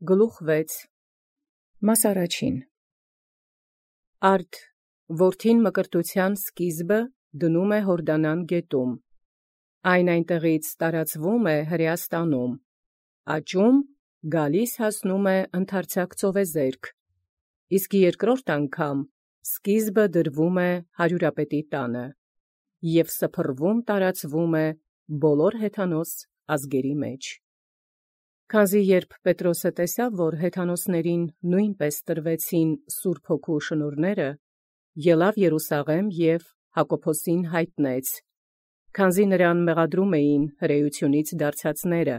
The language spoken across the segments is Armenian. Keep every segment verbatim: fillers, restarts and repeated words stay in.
Գլուխ վեց Մաս առաջին Արդ որդին մկրտութեան սկիզբը դնում է Յորդանան գետում, այն այնտեղից տարածվում է Հրեաստանում, աճում գալիս հասնում է ընդարձակ ծովեզերք, իսկ երկրորդ անգամ սկիզբը դրվում է հարյուրապետի տանը, և սփռվում տարածվում է բոլոր հեթանոս ազգերի մեջ։ Քանզի երբ Պետրոսը տեսավ, որ հեթանոսներին նույնպես տրվեցին Սուրբ Հոգու շնորհները, ելավ Երուսաղէմ և Հակոբոսին յայտնեց, քանզի նրան մեղադրում էին հրեությունից դարձածները,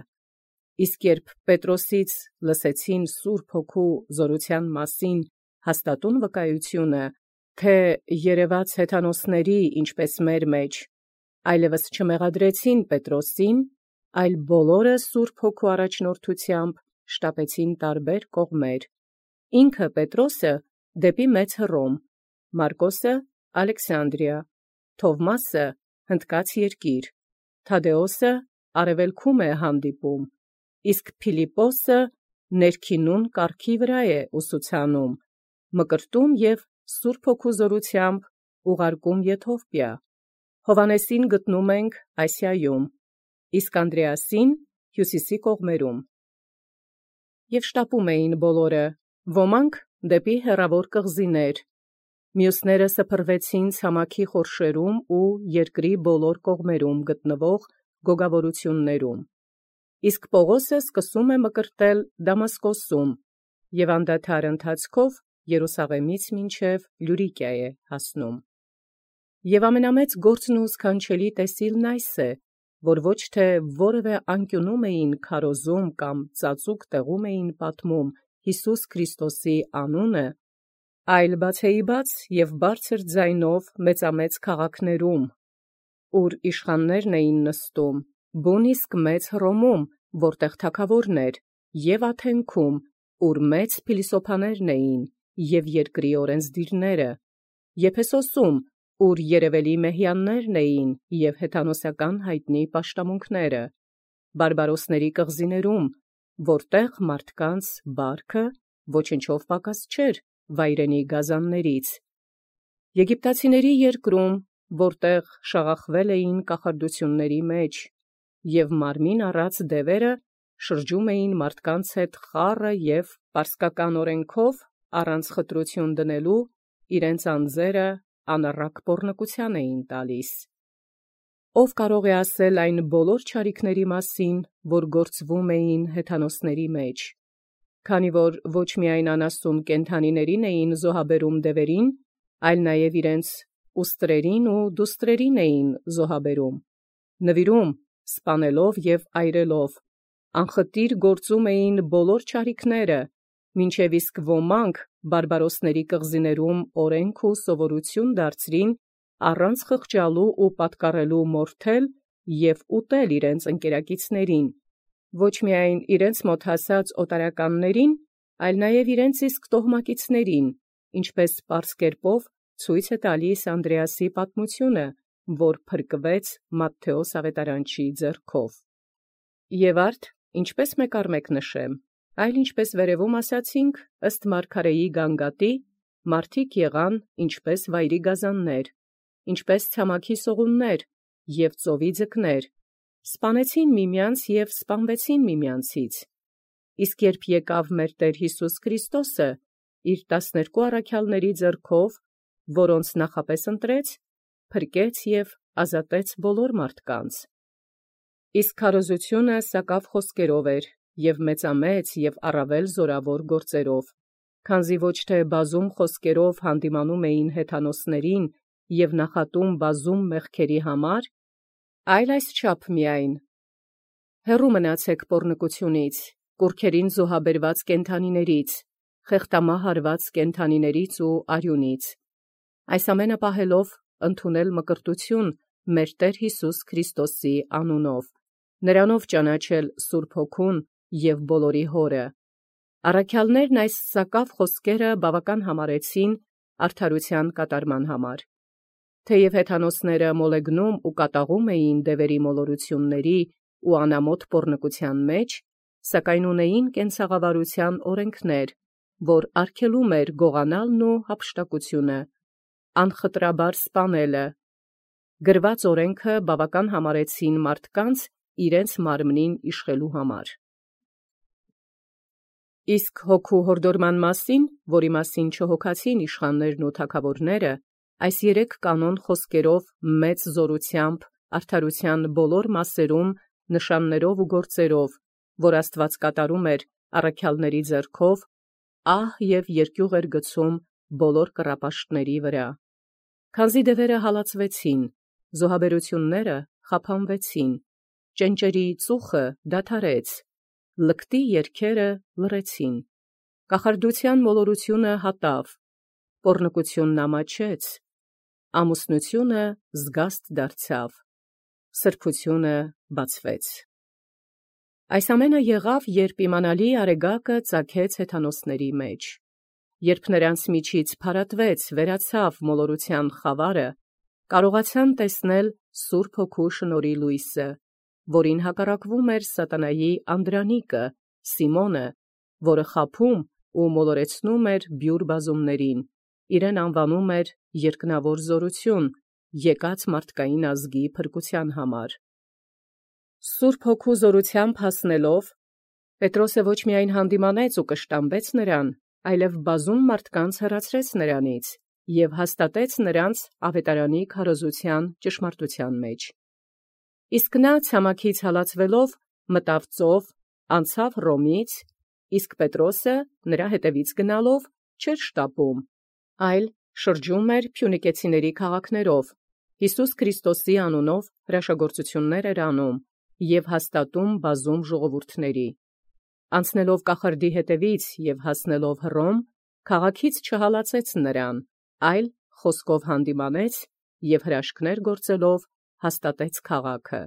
իսկ երբ Պետրոսից լսեցին Սուրբ Հոգու զորութեան մասին հաստատուն վկայությունը, թէ երևաց հեթանոսների, ինչպէս մեր մեջ, այլևս չմեղադրեցին Պետրոսին, այլ բոլորը Սուրբ Հոգու առաջնորդութեամբ շտապեցին տարբեր կողմեր, ինքը Պետրոսը դեպի Մեծ Հռոմ, Մարկոսը Ալեքսանդրիա, Թովմասը Հնդկած երկիր, Թադէոսը արևելքում է հանդիպում, իսկ Փիլիպպոսը ներքինուն կառքի վրա է ուսուցանում, մկրտում և Սուրբ Հոգու զորութեամբ ուղարկում Եթովպիա, Հովհաննեսին գտնում ենք Ասիայում, իսկ Անդրեասին հյուսիսի կողմերում։ Եւ շտապում էին բոլորը, ոմանք դեպի հեռավոր կղզիներ, մյուսները սփռվեցին ցամաքի խորշերում ու երկրի բոլոր կողմերում գտնվող գոգավորություններում, իսկ Պողոսը սկսում է մկրտել Դամասկոսում և անդադար ընթացքով Երուսաղեմից մինչև Լյուրիկիա է հասնում։ Եւ ամենամեծ գործն ու սքանչելի տեսիլն այս է, որ ոչ թէ որևէ անկյունում էին քարոզում կամ ծածուկ տեղում էին պատմում Յիսուս Քրիստոսի անունը, այլ բացեիբաց և բարձր ձայնով մեծամեծ քաղաքներում, ուր իշխաններն էին նստում, բուն իսկ Մեծ Հռոմում, որտեղ թագաւորն էր, և Աթենքում, ուր մեծ փիլիսոփաներն էին, և երկրի օրենսդիրները, Եփեսոսում, ուր երևելի մեհյաններն էին և հեթանոսական յայտնի պաշտամունքները, բարբարոսների կղզիներում, որտեղ մարդկանց բարքը ոչնչով պակաս չէր վայրենի գազաններից, Եգիպտացիների երկրում, որտեղ շաղախվել էին կախարդությունների մեջ, և մարմին առած դևերը շրջում էին մարդկանց հետ խառը և պարսկական օրենքով առանց խտրություն դնելու իրենց անձերը անառակ պոռնկութեան էին տալիս։ Ո՛վ կարող է ասել այն բոլոր չարիքների մասին, որ գործվում էին հեթանոսների մեջ, քանի որ ոչ միայն անասուն կենդանիներին էին զոհաբերում դևերին, այլ նաև իրենց ուստրերին ու դուստրերին էին զոհաբերում, նվիրում, սպանելով և այրելով, անխտիր գործում էին բոլոր չարիքները, մինչև իսկ ոմանք բարբարոսների կղզիներում օրենք ու սովորություն դարձրին առանց խղճալու ու պատկառելու մորթել և ուտել իրենց ընկերակիցներին, ոչ միայն իրենց մոտ հասած օտարականներին, այլ նաև իրենց իսկ տոհմակիցներին, ինչպես պարզ կերպով ցույց է տալիս Անդրեասի պատմությունը, որ փրկվեց Մատթէոս աւետարանչի ձեռքով։ Եւ արդ ինչպես մեկ առ մեկ նշեմ, այլ ինչպես վերևում ասացինք, ըստ մարգարեի գանգատի, մարդիկ եղան ինչպես վայրի գազաններ, ինչպես ցամաքի սողուններ և ծովի ձկներ, սպանեցին միմյանց և սպանվեցին միմյանցից, իսկ երբ եկավ մեր Տեր Յիսուս Քրիստոսը իր տասներկու առաքյալների ձեռքով, որոնց նախապես ընտրեց, փրկեց և ազատեց բոլոր մարդկանց։ Իսկ քարոզությունը սակավ խոսքերով էր և մեծամեծ և առավել զորավոր գործերով, քանզի ոչ թէ բազում խոսքերով հանդիմանում էին հեթանոսներին և նախատում բազում մեղքերի համար, այլ այսչափ միայն. հեռու մնացեք պոռնկությունից, կուռքերին զոհաբերված կենդանիներից, խեղդամահ արված կենդանիներից ու արյունից, այս ամենը պահելով ընդունել մկրտություն մեր Տեր Յիսուս Քրիստոսի անունով, նրանով ճանաչել Սուրբ Հոգուն և բոլորի Հորը։ Առաքյալներն այս սակավ խոսքերը բավական համարեցին արդարութեան կատարման համար։ Թեև հեթանոսները մոլեգնում ու կատաղում էին դևերի մոլորությունների ու անամոթ պոռնկութեան մեջ, սակայն ունեին կենցաղավարութեան օրենքներ, որ արգելում էր գողանալն ու հափշտակությունը, անխտրաբար սպանելը։ Գրված օրենքը բավական համարեցին մարդկանց իրենց մարմնին իշխելու համար։ Իսկ հոգու հորդորման մասին, որի մասին չհոգացին իշխաններն ու թագավորները, այս երեք կանոն խոսքերով մեծ զորությամբ արդարութեան բոլոր մասերում, նշաններով ու գործերով, որ Աստված կատարում էր առաքյալների ձեռքով, ահ և երկյուղ էր գցում բոլոր կռապաշտների վրա։ Քանզի դևերը հալածվեցին, զոհաբերությունները խափանվեցին, ճենճերի ծուխը դադարեց, լկտի երգերը լռեցին, կախարդութեան մոլորությունը հատավ, պոռնկությունն ամաչեց, ամուսնությունը զգաստ դարձավ, սրբությունը բացվեց։ Այս ամենը եղավ, երբ իմանալի արեգակը ծագեց հեթանոսների մեջ, երբ նրանց միջից փարատվեց, վերացավ մոլորութեան խավարը, կարողացան տեսնել Սուրբ Հոգու շնորհի լույսը, որին հակառակվում էր սատանայի անդրանիկը, Սիմոնը, որը խաբում ու մոլորեցնում էր բյուր բազումներին, իրեն անվանում էր երկնավոր զորություն, եկած մարդկային ազգի փրկության համար։ Սուրբ Հոգու զորությամբ հասնելով, Պետրոսը ոչ միայն հանդիմանեց ու կշտամբեց նրան, այլև բազում մարդկանց հեռացրեց նրանից և հաստատեց նրանց ավետարանի քարոզութեան ճշմարտութեան մեջ։ Իսկ նա ցամաքից հալածվելով մտավ ծով, անցավ Հռոմից, իսկ Պետրոսը նրա հետևից գնալով չէր շտապում, այլ շրջում էր փյունիկեցիների քաղաքներով, Յիսուս Քրիստոսի անունով հրաշագործություններ էր անում և հաստատում բազում ժողովուրդների։ Անցնելով կախարդի հետևից և հասնելով Հռոմ, քաղաքից չհալածեց նրան, այլ խոսքով հանդիմանեց և հրաշքներ գործելով հաստատեց քաղաքը։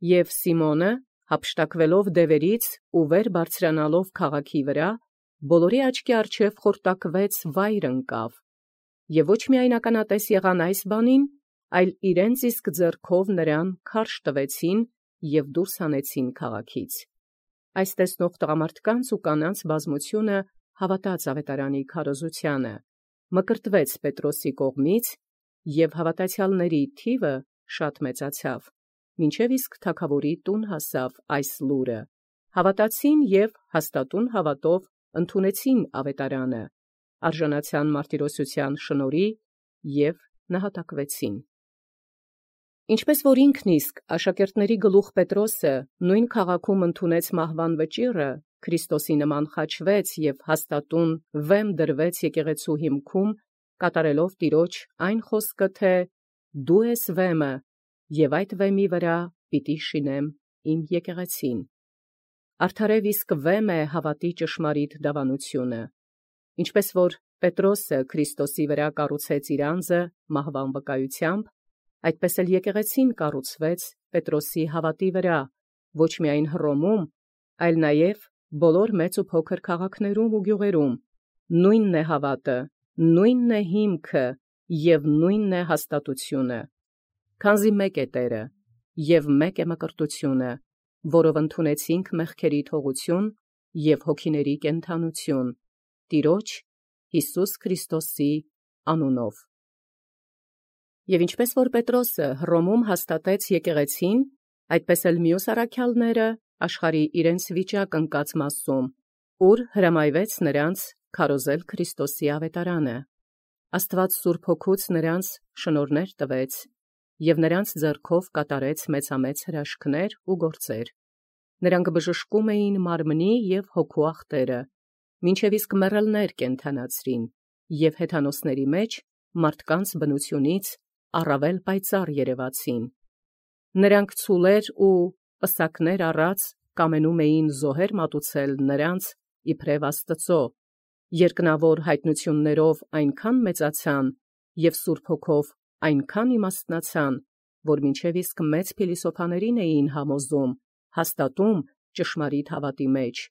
Եւ Սիմոնը, հափշտակվելով դևերից ու վեր բարձրանալով քաղաքի վրա, բոլորի աչքի առջև խորտակվեց վայր ընկավ, և ոչ միայն ականատես եղան այս բանին, այլ իրենց իսկ ձեռքով նրան քարշ տվեցին և դուրս հանեցին քաղաքից։ Այս տեսնող տղամարդկանց ու կանանց բազմությունը հավատաց ավետարանի քարոզութեանը, մկրտվեց Պետրոսի կողմից, և հավատացյալների թիվը շատ մեծացավ, մինչև իսկ թագավորի տուն հասավ այս լուրը, հավատացին և հաստատուն հավատով ընդունեցին ավետարանը, արժանացան մարտիրոսութեան շնորհի և նահատակվեցին։ Ինչպես որ ինքն իսկ աշակերտների գլուխ Պետրոսը նույն քաղաքում ընդունեց մահվան վճիռը, Քրիստոսի նման խաչվեց և հաստատուն վեմ դրվեց եկեղեցու հիմքում, կատարելով տիրոջ այն խոսքը, թե «Դու ես վեմը, և այդ վեմի վրա պիտի շինեմ իմ եկեղեցին»։ Արդարև իսկ վեմ է հավատի ճշմարիտ դավանությունը։ Ինչպես որ Պետրոսը Քրիստոսի վրա կառուցեց իր անձը մահվան վկայությամբ, այդպես էլ եկեղեցին կառուցվեց Պետրոսի հավատի վրա, ոչ միայն Հռոմում, այլ նաև բոլոր մեծ ու փոքր քաղաքներում ու գյուղերում, նույնն է հավատը, նույնն է հիմքը և նույնն է հաստատությունը։ Քանզի մեկ է Տերը, և մեկ է մկրտությունը, որով ընդունեցինք մեղքերի թողություն և հոգիների կենդանություն, Տիրոջ Յիսուս Քրիստոսի անունով։ Եվ ինչպես որ Պետրոսը Հռոմում հաստատեց եկեղեցին, այդպես էլ մյուս առաքյալները աշխարհի իրենց վիճակ ընկած մասում, ուր հրամայվեց նրանց քարոզել Քրիստոսի ավետարանը, Աստված Սուրբ Հոգուց նրանց շնորհներ տվեց, և նրանց ձեռքով կատարեց մեծամեծ հրաշքներ ու գործեր։ Նրանք բժշկում էին մարմնի և հոգու ախտերը, մինչև իսկ մեռելներ կենդանացրին, և հեթանոսների մեջ մարդկանց բնությունից առավել պայծառ երևացին։ Նրանք ցուլեր ու պսակներ առած կամենում էին զոհեր մատուցել նրանց իբրև Աստծո, երկնավոր հայտնություններով այնքան մեծացան և Սուրբ Հոգով այնքան իմաստնացան, որ մինչև իսկ մեծ փիլիսոփաներին էին համոզում, հաստատում ճշմարիտ հավատի մեջ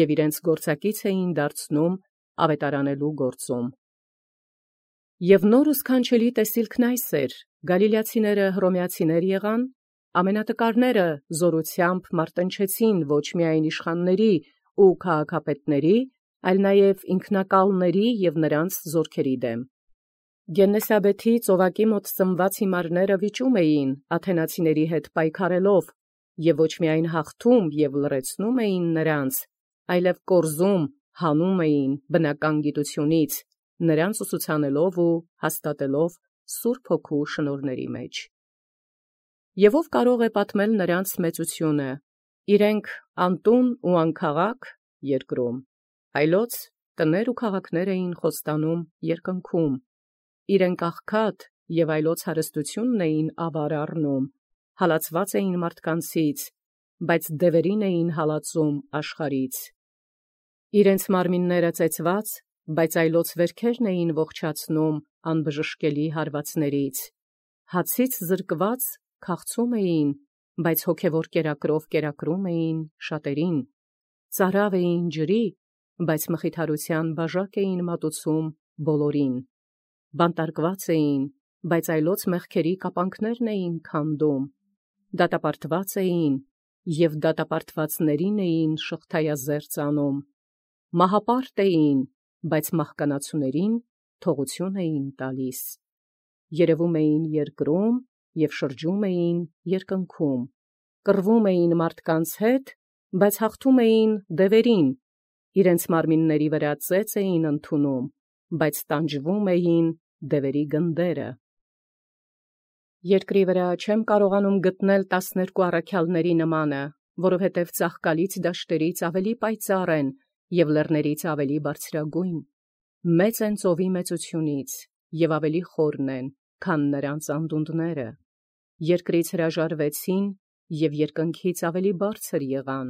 և իրենց գործակից էին դարձնում ավետարանելու գործում։ Եվ նոր ու սքանչելի տեսիլքն այս էր. Գալիլեացիները հռոմեացիներ եղան, Ամենատկարները զորությամբ մարտնչեցին ոչ միայն իշխանների ու քաղաքապետների, այլ նաև ինքնակալների և նրանց զորքերի դեմ։ Գեննեսաբեթի ծովակի մոտ ծնված հիմարները վիճում էին աթենացիների հետ պայքարելով, և ոչ միայն հաղթում և լռեցնում էին նրանց, այլև կորզում հանում էին բնական գիտությունից, նրանց ուսուցանելով ու հաստատելով Սուրբ Հոգու շնորհների մեջ։ Եվ ով կարող է պատմել նրանց մեծությունը, իրենք անտուն ու անքաղաք երկրում, այլոց տներ ու քաղաքներ էին խոստանում երկնքում, իրենք աղքատ և այլոց հարստությունն էին ավար առնում, հալածված էին մարդկանցից, բայց դևերին էին հալածում աշխարհից։ Իրենց մարմինները ծեծված, բայց այլոց վերքերն էին ողջացնում անբժշկելի հարվածներից, հացից զրկված քաղցում էին, բայց հոգևոր կերակրով կերակրում էին շատերին, ծարավ էին ջրի, բայց մխիթարության բաժակ էին մատուցում բոլորին, բանտարկված էին, բայց այլոց մեղքերի կապանքներն էին քանդում, դատապարտված էին և դատապարտվածներին էին շղթայազերծ անում, մահապարտ էին, բայց մահկանացուներին թողություն էին տալիս, երևում էին երկրում և շրջում էին երկնքում, կռվում էին մարդկանց հետ, բայց հաղթում էին դևերին, իրենց մարմինների վրա ծեծ էին ընդունում, բայց տանջվում էին դևերի գնդերը։ Երկրի վրա չեմ կարողանում գտնել տասներկու առաքյալների նմանը, որովհետև ծաղկալից դաշտերից ավելի պայծառ են և լեռներից ավելի բարձրագույն, մեծ են ծովի մեծությունից և ավելի խորն են, քան նրանց անդունդները, երկրից հրաժարվեցին և երկնքից ավելի բարձր եղան,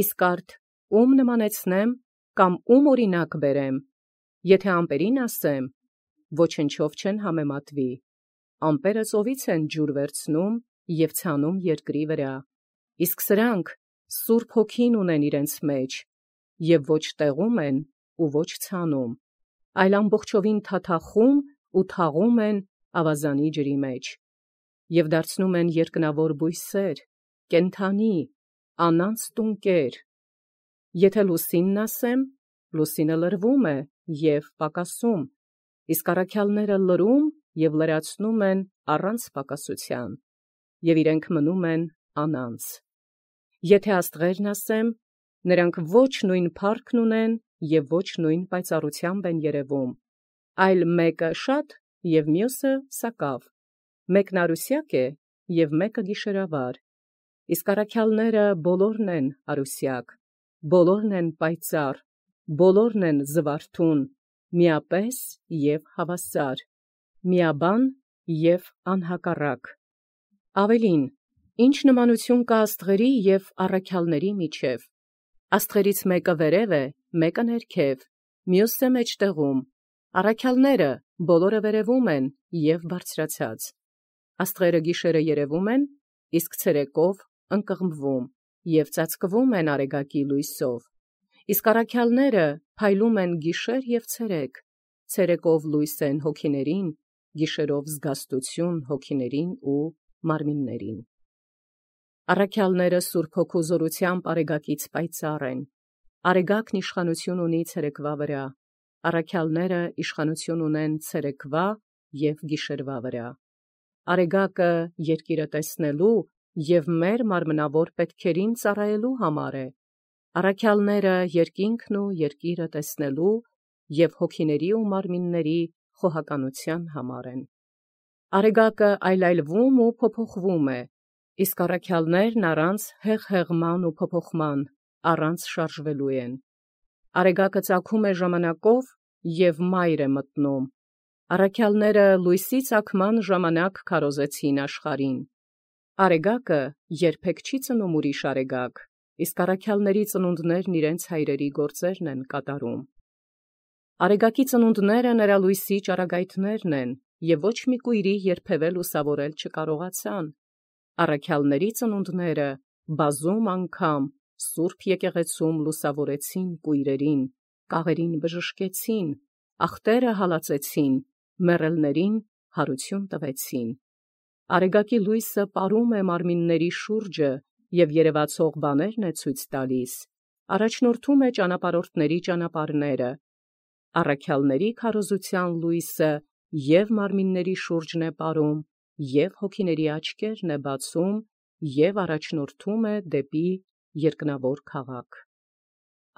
իսկ արդ ո՞ւմ նմանեցնեմ կամ ո՞ւմ օրինակ բերեմ, եթե ամպերին ասեմ, ոչնչով չեն համեմատվի, ամպերը ծովից են ջուր վերցնում և ցանում երկրի վրա, իսկ սրանք Սուրբ Հոգին ունեն իրենց մեջ, և ոչ տեղում են ու ոչ ցանում, այլ ամբողջովին թաթախում ու թաղում են ավազանի ջրի մեջ, և դարձնում են երկնավոր բույսեր, կենդանի, անանց տունկեր։ Եթե լուսինն ասեմ, լուսինը լրվում է և պակասում, իսկ առաքյալները լրում և լրացնում են առանց պակասության, և իրենք մնում են անանց։ Եթե աստղերն ասեմ, նրանք ոչ նույն փառքն ունեն և ոչ նույն պայծառությամբ են երևում, այլ մեկը շատ և մյուսը սակավ, մեկն արուսյակ է և մեկը գիշերավար, իսկ առաքյալները բոլորն են արուսյակ, բոլորն են պայծառ, բոլորն են զվարթուն, միապես և հավասար, միաբան և անհակառակ։ Ավելին, ի՞նչ նմանություն կա աստղերի և առաքյալների միջև. աստղերից մեկը վերև է, մեկը ներքև, մյուսը մեջտեղում, առաքյալները բոլորը վերևում են և բարձրացած, աստղերը գիշերը երևում են, իսկ ցերեկով ընկղմվում և ծածկվում են արեգակի լույսով, իսկ առաքյալները փայլում են գիշեր և ցերեկ, ցերեկով լույս են հոգիներին, գիշերով զգաստություն հոգիներին ու մարմիններին։ Առաքյալները Սուրբ Հոգու զորությամբ արեգակից պայծառ են, արեգակն իշխանություն ունի ցերեկվա վրա, առաքյալները իշխանություն ունեն ցերեկվա և գիշերվա վրա։ Արեգակը երկիրը տեսնելու և մեր մարմնավոր պետքերին ծառայելու համար է, առաքյալները երկինքն ու երկիրը տեսնելու և հոգիների ու մարմինների խոհականության համար են։ Արեգակը այլայլվում ու փոփոխվում է, իսկ առաքյալներն առանց հեղհեղման ու փոփոխման, առանց շարժվելու են։ Արեգակը ծագում է ժամանակով և մայր է մտնում, առաքյալները լույսի ծագման ժամանակ քարոզեցին աշխարհին։ Արեգակը երբեք չի ծնում ուրիշ արեգակ, իսկ առաքյալների ծնունդներն իրենց հայրերի գործերն են կատարում։ Արեգակի ծնունդները նրա լույսի ճառագայթներն են, և ոչ մի կույրի երբևէ լուսավորել չկարողացան։ Առաքյալների ծնունդները բազում անգամ Սուրբ եկեղեցում լուսավորեցին կույրերին, կաղերին բժշկեցին, ախտերը հալածեցին, մեռելներին հարություն տվեցին։ Արեգակի լույսը պարում է մարմինների շուրջը և երևացող բաներն է ցույց տալիս, առաջնորդում է ճանապարհորդների ճանապարհները, առաքյալների քարոզության լույսը և մարմինների շուրջն է պարում, և հոգիների աչքերն է բացում, և առաջնորդում է դեպի երկնավոր քաղաք։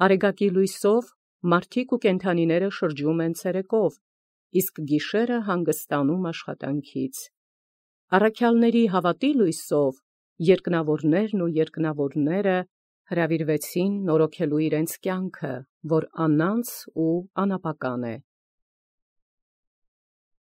Արեգակի լույսով մարդիկ ու կենդանիները շրջում են ցերեկով, իսկ գիշերը հանգստանում աշխատանքից։ Առաքյալների հավատի լույսով երկնավորներն ու երկնավորները հրավիրվեցին նորոգելու իրենց կյանքը, որ անանց ու անապական է։